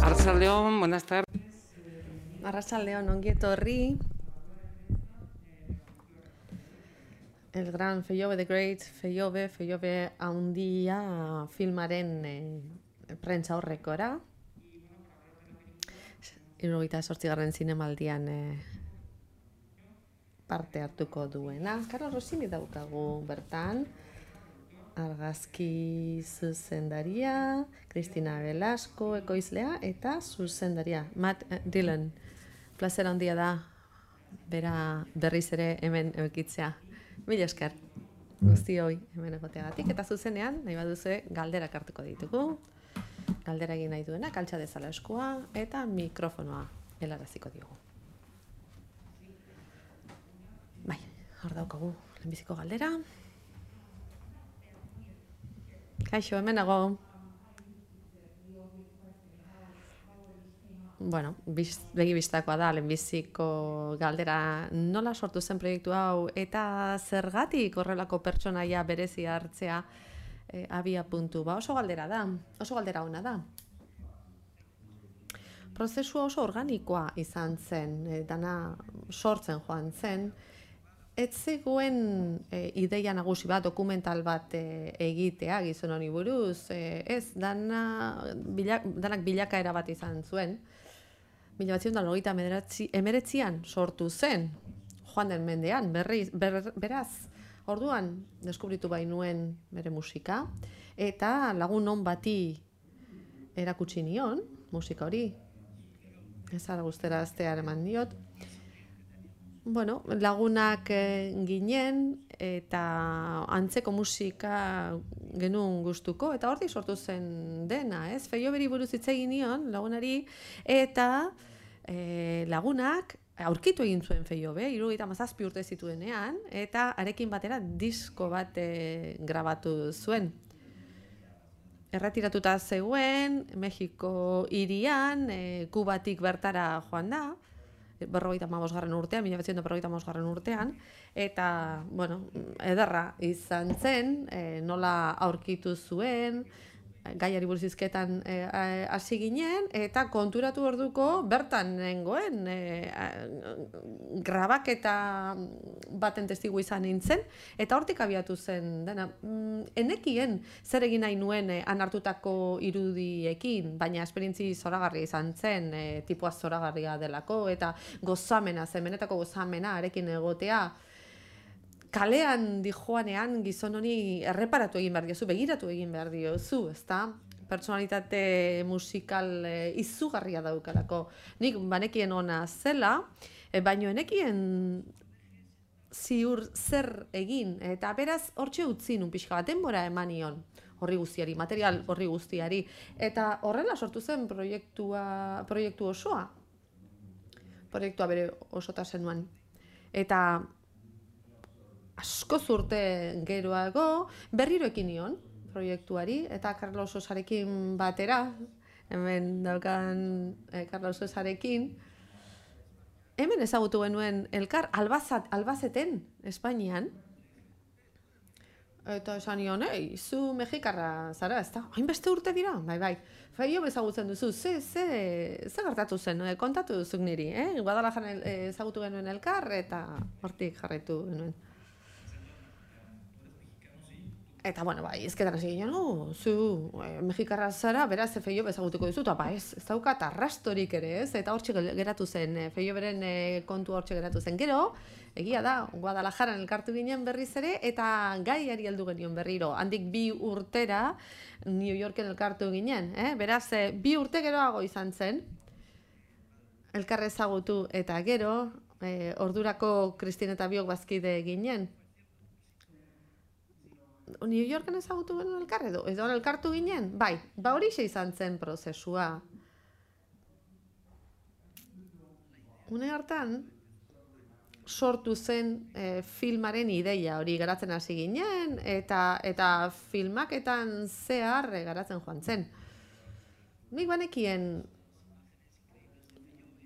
Arratsaldeon, buenas tardes. Arratsaldeon, ongi etorri. El gran Feiobe the Great, Feiobe haundia filmaren prentsa horrekora. 78. zinemaldian parte hartuko duena. Carlos Rossini daukagu bertan. Argazki zuzendaria, Cristina Velasco ekoizlea eta zuzendaria, Matt Dillon. Plazera handia da, bera berriz ere hemen eukitzea. Mila esker, guztioi hemen egoteagatik. Eta zuzenean, nahi baduzue, galderak hartuko ditugu. Galdera egin nahi duena, altxa dezala eskua, eta mikrofonoa helaraziko diogu. Bai, hor daukagu, lehenbiziko galdera. Kaixo, hemen nago. Bueno, begi-bistakoa da, lehenbiziko galdera. Nola sortu zen proiektu hau eta zergatik horrelako pertsonaia berezi hartzea abia puntu? Ba, oso galdera da, oso galdera ona da. Prozesua oso organikoa izan zen, dana sortzen joan zen. Ez zegoen ideia nagusi bat, dokumental bat egitea gizon honi buruz, ez, danak bilakaera bat izan zuen. 1989an sortu zen, joan den mendean, beraz, orduan deskubritu bainuen bere musika, eta lagun on bati erakutsi nion, musika hori, ez ara guztera aztear eman diot. Bueno, lagunak ginen eta antzeko musika genuen gustuko, eta hortik sortu zen dena, ez? Feioberi buruz hitz egin nion lagunari, eta lagunak aurkitu egin zuen Feiobe, 77 urte zituenean, eta arekin batera disko bat grabatu zuen. Erretiratuta zegoen, Mexiko hirian, Kubatik bertara joan da, 1945 urtean, 1945 urtean, eta, bueno, ederra izan zen, nola aurkitu zuen, gaiari buruz hizketan hasi ginen, eta konturatu orduko bertan nengoen, grabaketa baten testigu izan nintzen, eta hortik abiatu zen dena. Enekien zer egin nahi nuen han hartutako irudiekin, baina esperientzi zoragarria izan zen, tipua zoragarria delako, eta gozamena, benetako gozamena arekin egotea. Kalean dijoanean gizon honi erreparatu egin behar diozu, begiratu egin behar diozu, ezta? Pertsonalitate musikal izugarria daukalako. Nik banekien ona zela, baino enekien ziur zer egin, eta beraz hortxe utzi nun pixka bat denbora eman nion horri guztiari, material horri guztiari, eta horrela sortu zen proiektu osoa. Proiektua bere osotasenuan. Eta asko urte geroago berriro ekin nion proiektuari, eta Carlos Sosarekin batera, hemen daukan Carlos Sosarekin, hemen ezagutu genuen elkar Albazeten, Espainian, eta esan nion, zu mexikarra zara, ez da? Hainbeste urte dira? Bai. Feiobe ezagutzen duzu, ze gertatu zen, kontatu duzuk niri, Guadalajaran ezagutu genuen elkar, eta hortik jarraitu genuen. Eta, bueno, bai, ezketan hasi ginen, zu mexikarra zara, beraz, Feiobe ezagutuko duzu, eta ez daukat arrastorik ere, ez? Eta hortxe geratu zen, Feioberen kontu hortxe geratu zen. Gero, egia da, Guadalajaran elkartu ginen berriz ere, eta gaiari heldu genion berriro. Handik 2 urtera, New Yorken elkartu ginen, beraz, 2 urte geroago izan zen, elkar ezagutu, eta gero, ordurako Kristin eta biok bazkide ginen. New Yorken ezagutu genuen elkar edo elkartu ginen? Bai, horixe izan zen prozesua. Une hartan, sortu zen filmaren ideia hori garatzen hasi ginen, eta filmaketan zehar garatzen joan zen. Nik banekien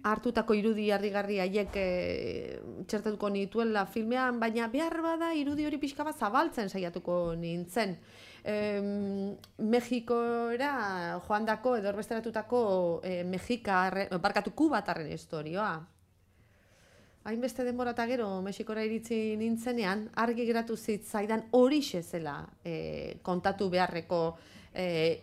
hartutako irudi harrigarri haiek txertatuko nituela filmean, baina behar bada irudi hori pixka bat zabaltzen saiatuko nintzen. Mexikora joandako edo erbesteratutako kubatarren historioa. Hainbeste denbora eta gero Mexikora iritsi nintzenean, argi geratu zitzaidan horixe zela kontatu beharreko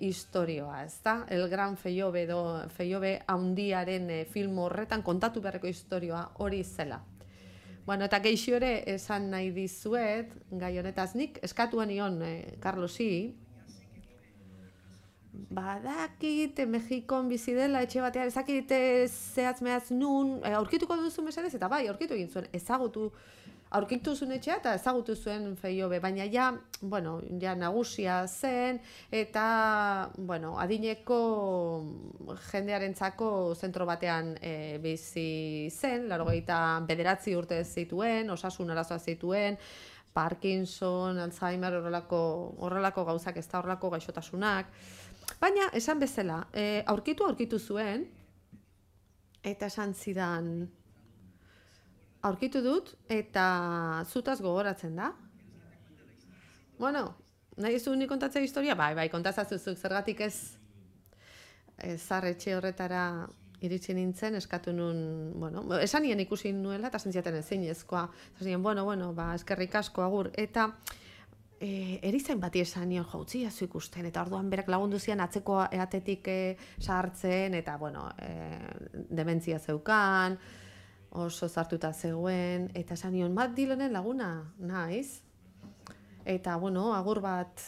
historioa, ezta? El Gran Feyobe edo Feyobe handiaren film horretan kontatu beharreko historioa hori zela. Bueno, eta geixo ere esan nahi dizuet, gai honetaz nik, eskatuan nion Carlosi, badakit Mexikon bizi dela etxe batean, ezakit zehatz mehaz nun, aurkituko duzu mesedez, eta bai, aurkitu egin zuen, aurkitu zuen etxea eta ezagutu zuen Feyobe, baina ja nagusia zen, eta, adineko jendearentzako zentro batean bizi zen, 89 urte zituen, osasun arazoa zituen, Parkinson, Alzheimer, horrelako gauzak, ez da horrelako gaixotasunak. Baina, esan bezala, aurkitu zuen, eta esan zidan, aurkitu dut, eta zutaz gogoratzen da. Bueno, nahi zu nik kontatzea historia? Bai, kontatzazuzuk, zergatik ez zarretxe horretara iritsi nintzen, eskatu nun, esan nien ikusi nuela, eta sentziaten ezinezkoa. Esan nien, eskerrik asko agur, eta erizain bati esan nion jautzi jazu ikusten, eta orduan berak lagundu zian atzeko atetik sartzen, eta, dementzia zeukan, oso zartuta zegoen, eta esan nion, Matt Dillonen laguna, naiz. Eta, agur bat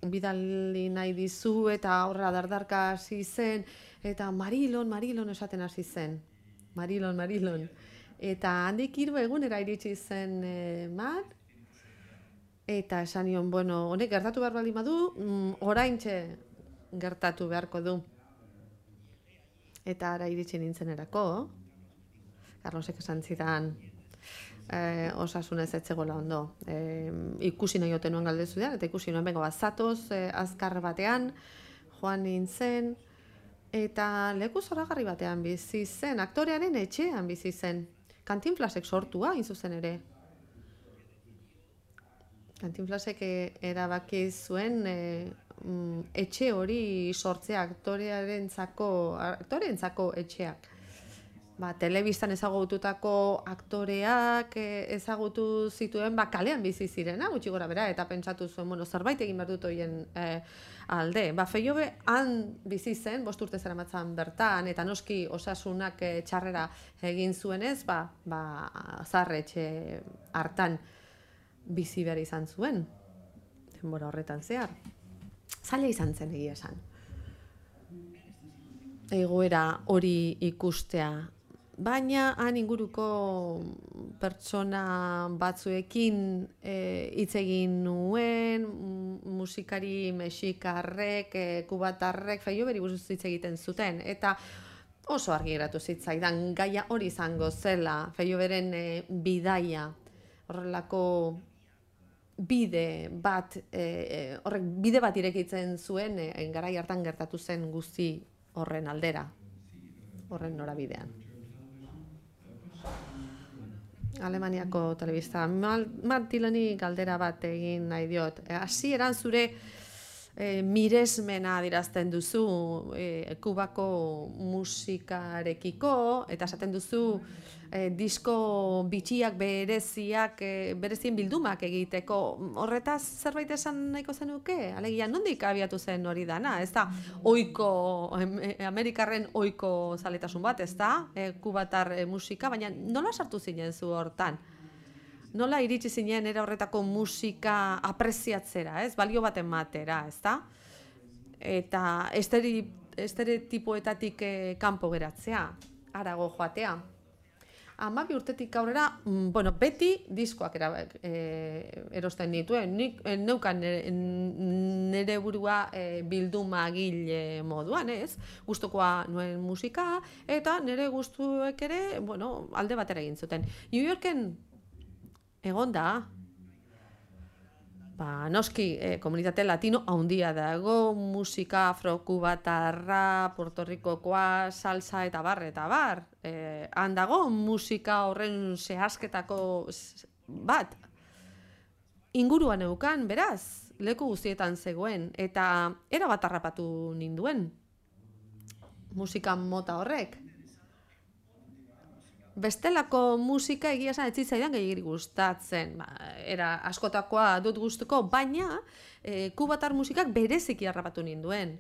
bidali nahi dizu, eta horra dardarka hasi zen, eta Marilon esaten hasi zen. Marilon. Eta handik 3 egunera iritsi zen Matt, eta esan nion, honek gertatu behar baldin badu, oraintxe gertatu beharko du. Eta ara iritsi nintzenerako, Carlosek esan zidan osasunez etzegoela ondo. Ikusi nahi ote nuen galdezu da, eta ikusi nuen bengo zatoz azkar batean, joan nintzen, eta leku zoragarri batean bizi zen, aktorearen etxean bizi zen. Cantinflasek sortua, hain zuzen ere. Cantinflasek erabaki zuen etxe hori sortzea aktoreentzako etxeak. Telebistan ezagututako aktoreak ezagutu zituen kalean bizi zirena, gutxi gora bera, eta pentsatu zuen, zerbait egin behar dut horien alde. Feyobe han bizi zen, 5 urte zeramatzan bertan, eta noski osasunak txarrera egin zuenez, zaharretxe hartan bizi behar izan zuen, denbora horretan zehar. Zaila izan zen egia esan. Egoera hori ikustea. Baina han inguruko pertsona batzuekin hitz egin nuen, musikari mexikarrek, kubatarrek, Feyoberi buruz hitz egiten zuten, eta oso argi geratu zitzaidan gaia hori izango zela, Feyoberen bidaia, horrelako bide bat irekitzen zuen, garai hartan gertatu zen guzti horren aldera, horren norabidean. Alemaniako telebista. Matt Dilloni galdera bat egin nahi diot. Hasieran zure miresmena adierazten duzu Kubako musikarekiko, eta esaten duzu disko bitxiak berezien bildumak egiteko. Horretaz zerbait esan nahiko zenuke? Alegia, nondik abiatu zen hori dana? Ez da Amerikarren ohiko zaletasun bat, ez da? Kubatar musika, baina nola sartu zinen zu hortan? Nola iritsi zinen era horretako musika apreziatzera, ez? Balio baten matera, ez da? Eta estereotipoetatik kanpo geratzea, harago joatea. 12 urtetik aurrera, beti diskoak erosten nituen. Nik neukan nire burua bildumagile moduan, ez? Gustukoa nuen musika, eta nire gustuek ere, alde batera egin zuten. New Yorken egon da, noski, komunitate latino handia dago, musika afrokubatarra, Puerto Ricokoa, salsa eta bar. Han dago musika horren zehazketako bat. Inguruan eukan, beraz, leku guztietan zegoen, eta erabat harrapatu ninduen musika mota horrek. Bestelako musika egia esan ez zitzaidan gehiagiri gustatzen. Era askotakoa dut gustuko, baina kubatar musikak bereziki harrapatu ninduen.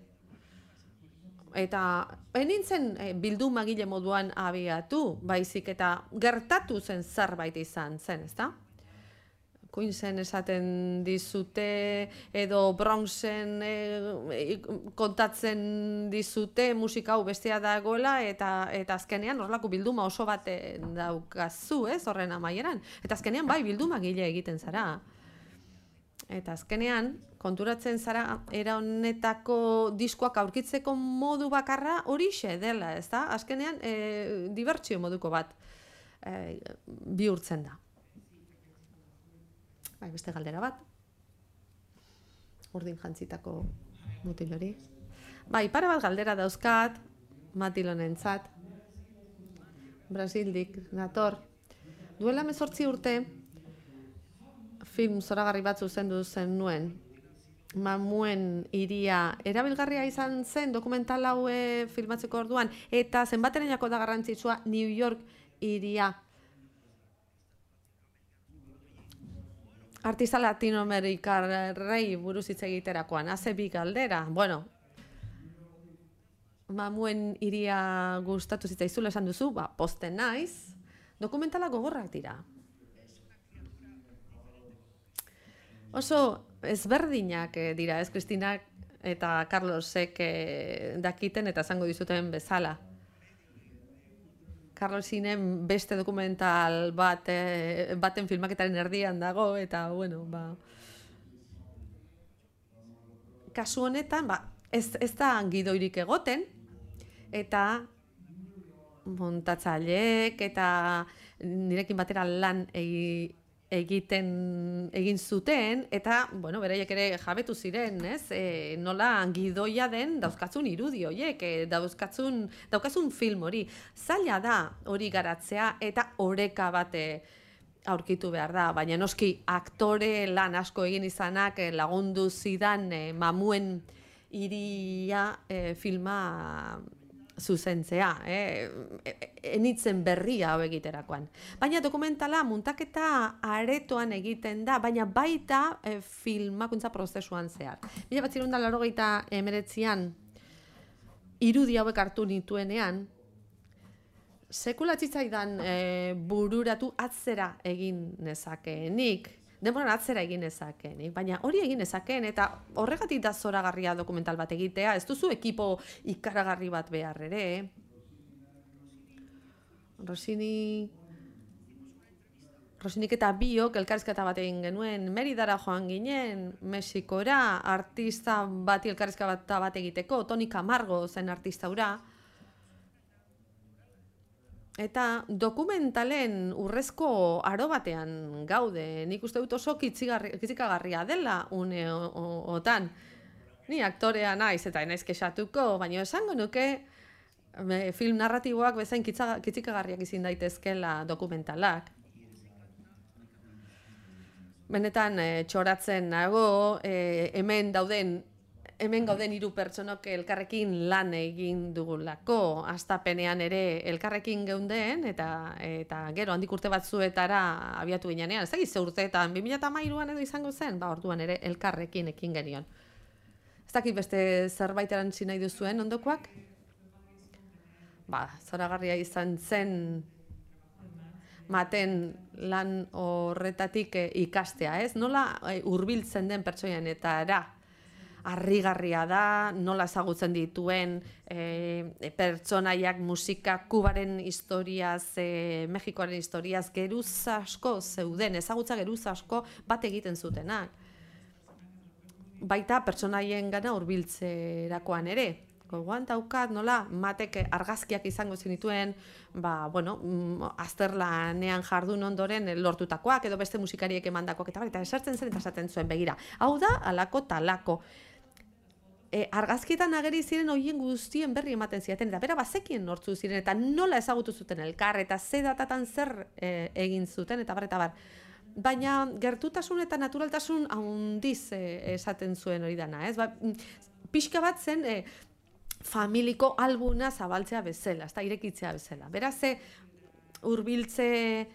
Eta nintzen bildumagile moduan abiatu, baizik eta gertatu zen zerbait izan zen, ezta? Queensen esaten dizute, edo Bronxen kontatzen dizute musika hau bestea dagoela, eta azkenean horrelako bilduma oso bat daukazu, ez, horren amaieran. Eta azkenean bai bildumagile egiten zara. Eta azkenean, konturatzen zara, era honetako diskoak aurkitzeko modu bakarra horixe dela, ezta? Azkenean, dibertsio moduko bat bihurtzen da. Bai, beste galdera bat. Urdin jantzitako mutil hori. Bai, pare bat galdera dauzkat, matilonentzat. Brasildik, nator. Duela 18 urte, film zoragarri bat zuzendu zen nuen. Mamuen hiria erabilgarria izan zen dokumental hau filmatzeko orduan, eta zenbaterenako da garrantzitsua New York hiria. Artista latinoamerikarrei buruz hitz egiterakoan, haze bi galdera. Bueno, Mamuen hiria gustatu zitzaizula esan duzu, posten naiz, dokumentala gogorrak dira. Oso ezberdinak dira, ez Kristinak eta Carlosek dakiten eta esango dizuten bezala. Carlosinen beste dokumental baten filmaketaren erdian dago, eta, bueno, kasu honetan, ez da gidoirik egoten, eta montatzaileek eta nirekin batera lan egin zuten, eta, bueno, beraiek ere jabetu ziren, ez? Nola gidoia den dauzkatzun irudi horiek, daukazun film hori. Zaila da hori garatzea eta oreka bat aurkitu behar da, baina noski aktore lan asko egin izanak lagundu zidan Mamuen hiria filma zuzentzea, enitzen berria hau egiterakoan. Baina dokumentala muntaketa aretoan egiten da, baina baita filmakuntza prozesuan zehar. 1989an irudi hauek hartu nituenean, sekula tzitzaidan bururatu atzera egin nezakeenik, denboran atzera egin nezakeenik, baina hori egin nezakeen, eta horregatik da zoragarria dokumental bat egitea, ez duzu ekipo ikaragarri bat behar ere. Rosinik eta biok elkarrizketa bat egin genuen, Meridara joan ginen, Mexikora, artista bati elkarrizketa bat egiteko, Toni Camargo zen artista hura. Eta dokumentalen urrezko aro batean gaude, nik uste dut oso kitzikagarria dela une otan. Ni aktorea naiz eta naiz kexatuko, baina esango nuke film narratiboak bezain kitzikagarriak izin daitezkela dokumentalak. Benetan txoratzen nago, hemen gauden 3 pertsonok elkarrekin lan egin dugulako, hastapenean ere elkarrekin geunden, eta gero handik urte batzuetara abiatu ginean. Ez dakiz ze urteetan, 2013an edo izango zen, orduan ere elkarrekin ekin genion. Ez dakit beste zerbait erantzi nahi duzuen ondokoak? Zoragarria izan zen maten lan horretatik ikastea, ez? Nola hurbiltzen den pertsoianetara. Harrigarria da, nola ezagutzen dituen pertsonaiak musika, Kubaren historiaz, Mexikoaren historiaz, geruz asko zeuden, ezagutza geruz asko bat egiten zutenak. Baita pertsonaien gana hurbiltzerakoan ere. gogoan daukat, nola, matek argazkiak izango zenituen, azterlanean jardun ondoren lortutakoak, edo beste musikariek emandakoak, eta esertzen zen eta esaten zuen, begira, hau da, alako talako. Argazkietan ageri ziren horien guztien berri ematen ziaten, eta bera bazekien nortzu ziren, eta nola ezagutu zuten elkar, eta ze datatan zer egin zuten, eta bar. Baina gertutasun eta naturaltasun handiz esaten zuen hori dana, ez? Pixka bat zen familiko albuna zabaltzea bezala, ez da, irekitzea bezala. Beraz, hurbiltze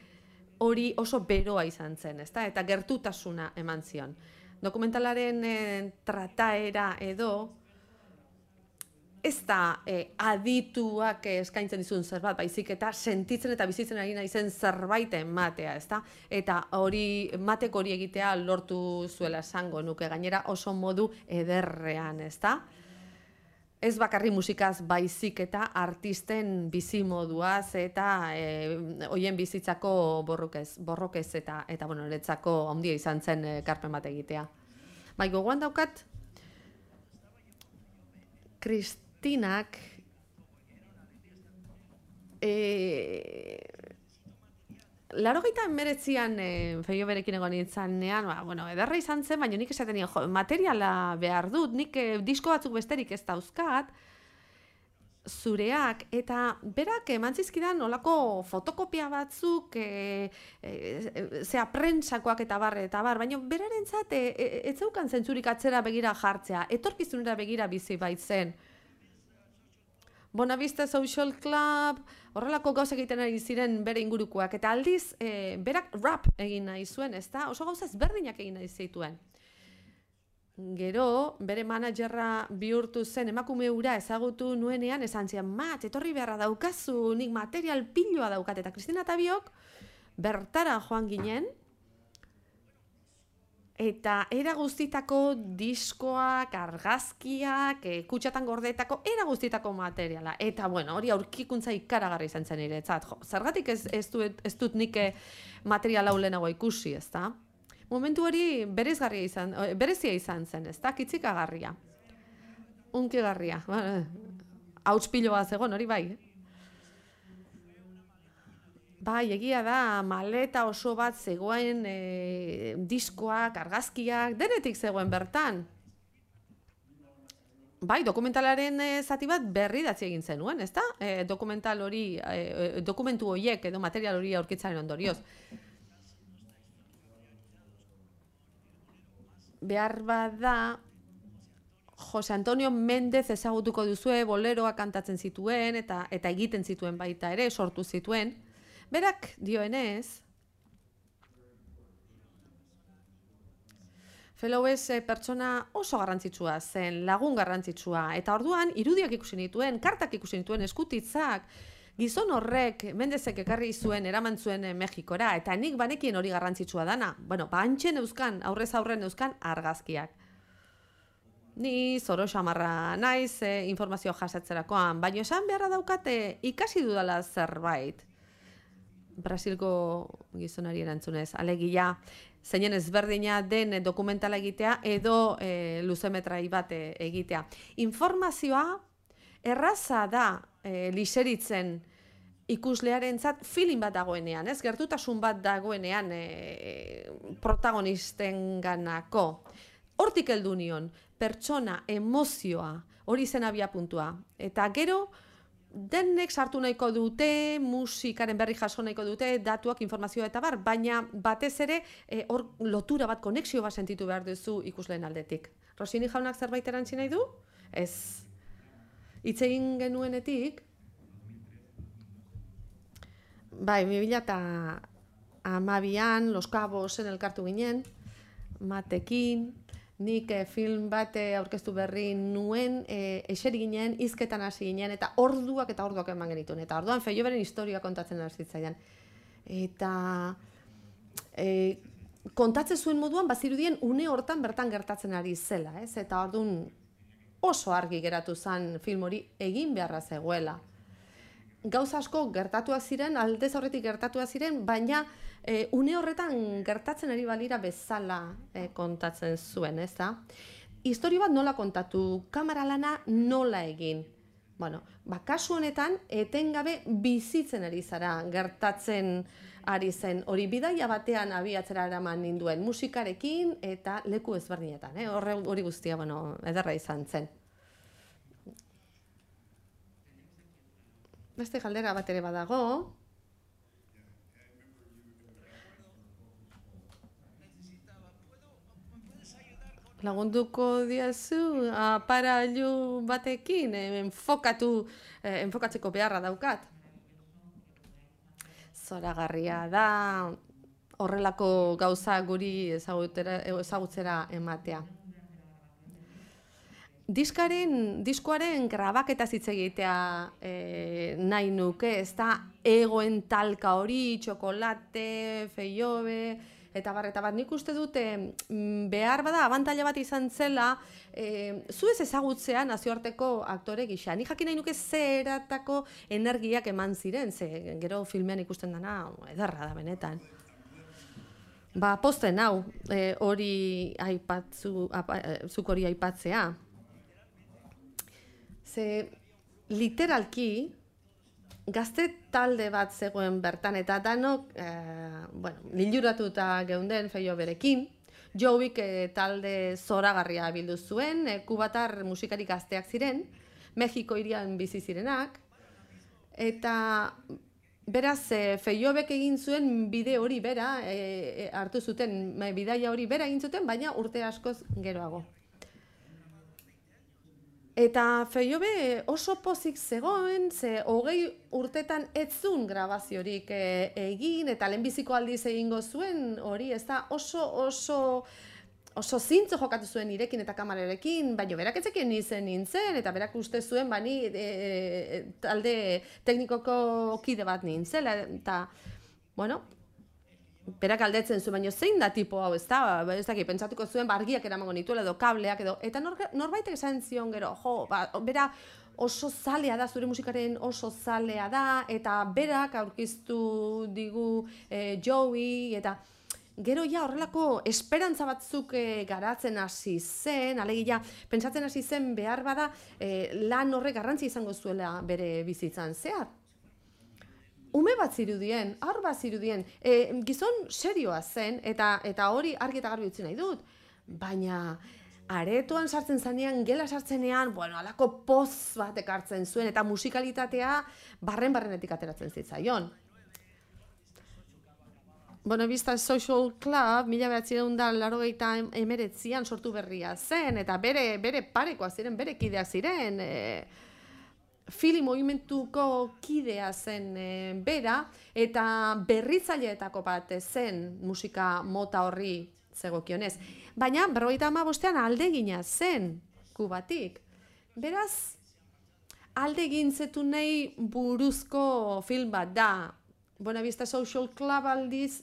hori oso beroa izan zen, ez da, eta gertutasuna eman zion. Dokumentalaren trataera edo ez da adituak eskaintzen dizun zerbait, baizik eta sentitzen eta bizitzen ari naizen zerbait ematea, ezta? Eta mateko hori egitea lortu zuela esango nuke, gainera oso modu ederrean, ezta? Ez bakarri musikaz baizik eta artisten bizimoduaz eta hoien bizitzako borrokez eta niretzako handia izan zen ekarpen bat egitea. Bai, gogoan daukat, Kristinak Laurogeita hemeretzian Feio berekin egon nintzanean, ederra izan zen, baina nik esaten nien, materiala behar dut, nik disko batzuk besterik ez dauzkat, zureak, eta berak eman zizkidan olako fotokopia batzuk, prentsakoak eta bar, baina berarentzat ez zeukan zentzurik atzera begira jartzea, etorkizunera begira bizi baitzen. Bonavista Social Club, horrelako gauzak egiten ari ziren bere ingurukoak, eta aldiz, berak rap egin nahi zuen, ezta? Oso gauza ezberdinak egin nahi zituen. Gero, bere managerra bihurtu zen emakume hura ezagutu nuenean, esan zian, etorri beharra daukazu, nik material piloa daukat, eta Kristina eta biok bertara joan ginen, eta era guztitako diskoak, argazkiak, kutxatan gordetako, era guztitako materiala. Eta, hori aurkikuntza ikaragarri izan zen niretzat. Zergatik ez dut nik material hau lehenago ikusi, ezta? Momentu hori berezia izan zen, ezta? Kitzikagarria. Unkigarria. Hauts piloa zegoen, hori bai. Bai, egia da, maleta oso bat zegoen diskoak, argazkiak, denetik zegoen bertan. Bai, dokumentalaren zati bat berri datzi egin zenuen, ezta? Dokumentu horiek edo material hori aurkitzaren ondorioz. Behar bada, Jose Antonio Mendez ezagutuko duzue, boleroak kantatzen zituen eta egiten zituen baita ere, sortu zituen. Berak dioenez, Felowes pertsona oso garrantzitsua zen, lagun garrantzitsua, eta orduan irudiak ikusi nituen, kartak ikusi nituen, eskutitzak, gizon horrek Mendezek ekarri zuen, eraman zuen Mexikora, eta nik banekien hori garrantzitsua dana. Antxen euskan, aurrez aurren euskan argazkiak. Ni zoro xamarra naiz informazio jasatzerakoan, baina esan beharra daukate ikasi dudala zerbait. Brasilgo gizonari erantzunez, alegia, zeinen ezberdina den dokumentala egitea edo luzemetrai bat egitea. Informazioa erraza da liseritzen ikuslearentzat feeling bat dagoenean, ez? Gertutasun bat dagoenean protagonistenganako. Hortik heldu nion, pertsona, emozioa, hori zen abiapuntua. Eta gero, denek sartu nahiko dute, musikaren berri jaso nahiko dute, datuak, informazioa eta bar, baina batez ere hor lotura bat, konexio bat sentitu behar duzu ikusleen aldetik. Rosini jaunak zerbait erantzi nahi du? Ez. Hitz egin genuenetik, bai, 2012an, Los Cabosen elkartu ginen, matekin, nik film bat aurkeztu berri nuen, eseri ginen, hizketan hasi ginen, eta orduak eman genituen. Eta orduan Feio beren historia kontatzen hasi zitzaidan. Eta kontatzen zuen moduan, bazirudien une hortan bertan gertatzen ari zela, ez? Eta orduan oso argi geratu zen film hori egin beharra zegoela. Gauza asko gertatuak ziren, aldez horretik gertatuak ziren, baina une horretan gertatzen ari balira bezala kontatzen zuen, ez da? Historio bat nola kontatu, kamera lana nola egin. Bueno, kasu honetan, etengabe bizitzen ari zara, gertatzen ari zen. Hori bidaia batean abiatzera eraman ninduen musikarekin eta leku ezberdinetan. Hori guztia, ederra izan zen. Beste galdera bat ere badago. Lagunduko diazu aparailu batekin, enfokatzeko beharra daukat. Zoragarria da horrelako gauza guri ezagutzera ematea. Diskoaren grabaketa hitz egitea nahi nuke, ez da egoen talka hori, txokolate, feiobe, eta bat, nik uste dute behar bada abantaila bat izan zela zu ez ezagutzea nazioarteko aktore gisa. Nik jakin nahi nuke zeratako energiak eman ziren, ze gero filmean ikusten dana ederra da benetan. Posten hau, zuk hori aipatzea. Ze literalki, gazte talde bat zegoen bertan eta danok liluratuta geunden Feioberekin. Joeik talde zoragarria bildu zuen, kubatar musikari gazteak ziren, Mexiko hirian bizi zirenak, eta beraz Feiobek egin zuen bide hori bera, hartu zuten, bidaia hori bera egin zuten, baina urte askoz geroago. Eta Feiobe oso pozik zegoen, ze 20 urtetan ez zuen grabaziorik egin, eta lehenbiziko aldiz egingo zuen, hori ez da oso zintzo jokatu zuen nirekin eta kamararekin, baina berak etzekien nintzen, eta berak uste zuen bani talde teknikoko kide bat nintzela, eta, berak aldetzen zuen, baina zein da tipo hau, ez da, pentsatuko zuen argiak eramango nituela edo kableak edo, eta norbaitek esan zion gero, bera oso zalea da, zure musikaren oso zalea da, eta berak aurkiztu digu Joey, eta gero horrelako esperantza batzuk garatzen hasi zen, alegia, pentsatzen hasi zen behar bada lan horrek garrantzi izango zuela bere bizitzan zehar. Ume bat zirudien, haur bat zirudien, gizon serioa zen, eta hori argi eta garbi utzi nahi dut. Baina aretoan sartzen zanean, gela sartzenean, alako poz bat ekartzen zuen, eta musikalitatea barrenetik ateratzen zitzaion. Buenavista Social Club, 1989an sortu berria zen, eta bere parekoak ziren, bere kideak ziren, Fili movimentuko kidea zen bera, eta berritzaileetako bat zen musika mota horri zegokionez. Baina, 55ean aldegina zen Kubatik. Beraz, aldegin zetunei buruzko film bat da. Buenavista Social Club aldiz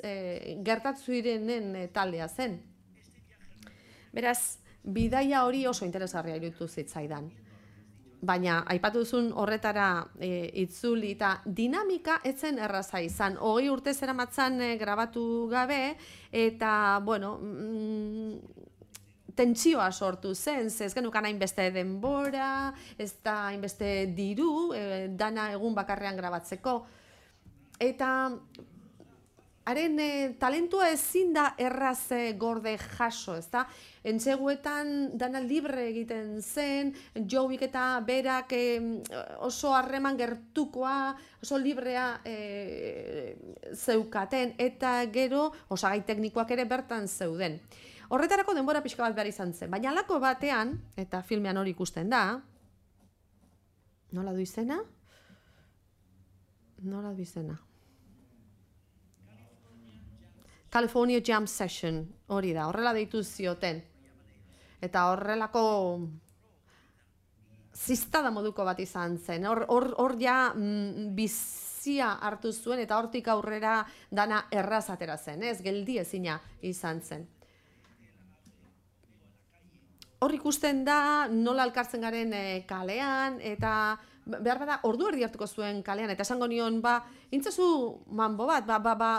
gertatu irenen taldea zen. Beraz, bidaia hori oso interesgarria iruditu zitzaidan. Baina, aipatu duzun horretara itzuli eta dinamika etzen erraza izan. 20 urte zeramatzan grabatu gabe, eta, tentsioa sortu zen, ez genukan hainbeste denbora, ez da hainbeste diru, dana egun bakarrean grabatzeko. Eta haren talentua ezin da erraz gorde jaso, ez da? Entseguetan dana libre egiten zen, Joeik eta berak oso harreman gertukoa, oso librea zeukaten, eta gero osagai teknikoak ere bertan zeuden. Horretarako denbora pixka bat behar izan zen, baina halako batean, eta filmean hori ikusten da, nola du izena? California Jam Session, hori da, horrela deitu zioten. Eta horrelako ziztada moduko bat izan zen. Hor ja bizia hartu zuen eta hortik aurrera dana erraz atera zen, ez? Geldi ezina izan zen. Hor ikusten da nola elkartzen garen kalean, eta behar bada ordu erdi hartuko zuen kalean, eta esango nion, intzazu manbo bat,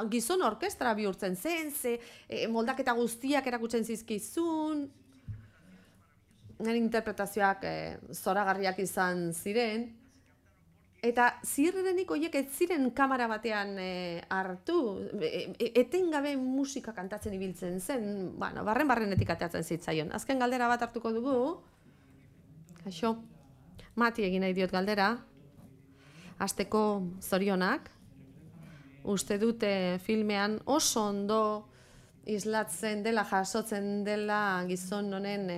gizon orkestra bihurtzen zen, ze moldaketa guztiak erakutzen zizkizun. nire interpretazioak zoragarriak izan ziren, eta ziurrenik horiek ez ziren kamera batean hartu, etengabe musika kantatzen ibiltzen zen, bueno, barrenetik ateatzen zitzaion. Azken galdera bat hartuko dugu, kaixo, Mati egin nahi diot galdera, hasteko zorionak, uste dute filmean oso ondo islatzen dela, jasotzen dela gizon honen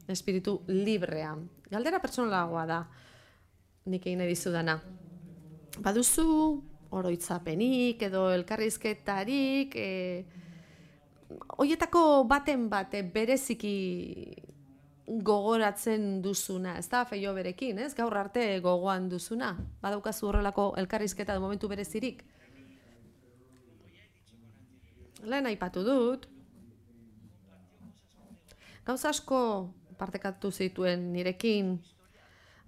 espiritu librea. Galdera pertsonalagoa da, nik egin nahi dizudana. Baduzu oroitzapenik edo elkarrizketarik, horietako baten bate bereziki gogoratzen duzuna, ez da, Feio berekin, ez? Gaur arte gogoan duzuna. Badaukazu horrelako elkarrizketa de momentu berezirik. Lehen aipatu dut, gauza asko partekatu zituen nirekin,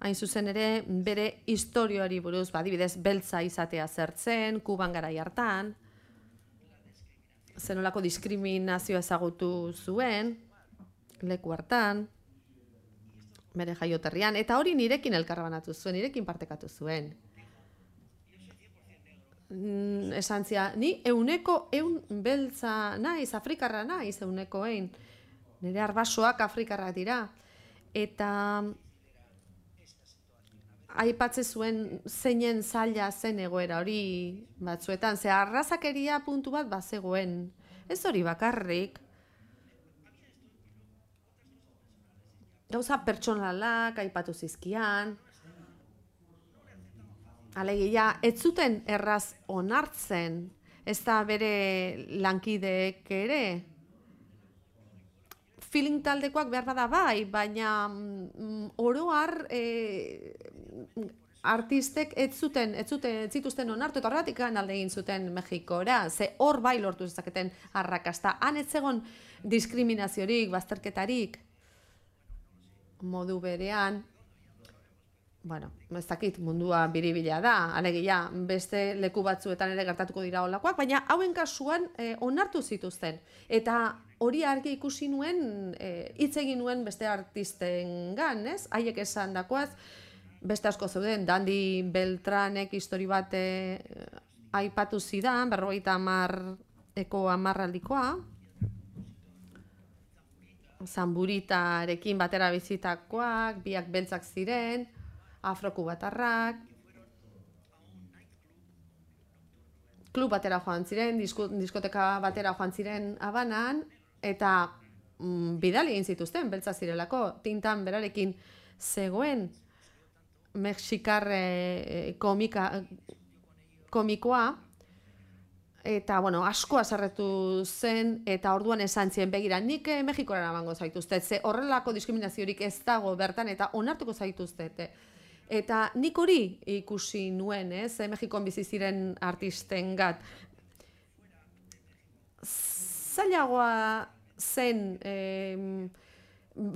hain zuzen ere bere historioari buruz, adibidez beltza izatea zertzen, Kuban garai hartan, zenolako diskriminazioa ezagutu zuen, leku hartan, bere jaioterrian, eta hori nirekin elkarbanatu zuen, nirekin partekatu zuen. Esan zia, ni euneko beltza naiz, afrikarra naiz euneko ein. Nire arbasoak afrikarrak dira. Eta aipatze zuen zeinen zaila zen egoera hori batzuetan. Ze arrazakeria puntu bat bazegoen. Ez hori bakarrik. Gauza pertsonalak aipatu zizkian. Alegia, ez zuten erraz onartzen, ez da bere lankideek ere. Feeling taldekoak behar bada bai, baina oroar artistek ez zituzten onartu, eta horregatik alde egin zuten Mexikora, ze hor bai lortu zezaketen arrakasta. Han ez zegon diskriminaziorik, bazterketarik, modu berean. Bueno, ez dakit mundua biribila da, alegia beste leku batzuetan ere gertatuko dira holakoak, baina hauen kasuan onartu zituzten. Eta hori argi ikusi nuen, hitz egin nuen beste artistengan, ez? Haiek esan dakoaz, beste asko zeuden, Dandi Beltranek histori bat aipatu zidan, 50eko hamarraldikoa, Zamburitarekin batera bizitakoak, biak beltzak ziren, afrokubatarrak, klub batera joan ziren, diskoteka batera joan ziren Habanan, eta bidali egin zituzten, beltza zirelako, tintan berarekin zegoen mexikar komikoa, eta, bueno, asko haserretu zen, eta orduan esan zien, begira, nik Mexikora eramango zaituztet, ze horrelako diskriminaziorik ez dago bertan, eta onartuko zaituztet. Eta nik hori ikusi nuen, Mexikon bizi ziren artistengat. Zailagoa zen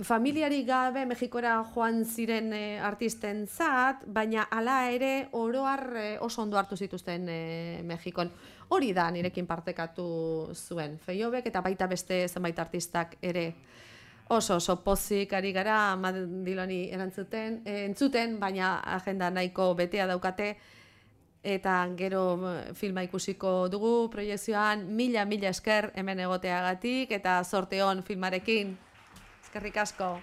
familiari gabe Mexikora joan ziren artistentzat, baina hala ere oroar oso ondo hartu zituzten Mexikon. Hori da nirekin partekatu zuen Feiobek eta baita beste zenbait artistak ere. Oso pozik ari gara Madiloni entzuten, baina agenda nahiko betea daukate, eta gero filma ikusiko dugu proiekzioan. Mila esker hemen egoteagatik, eta zorte on filmarekin. Eskerrik asko.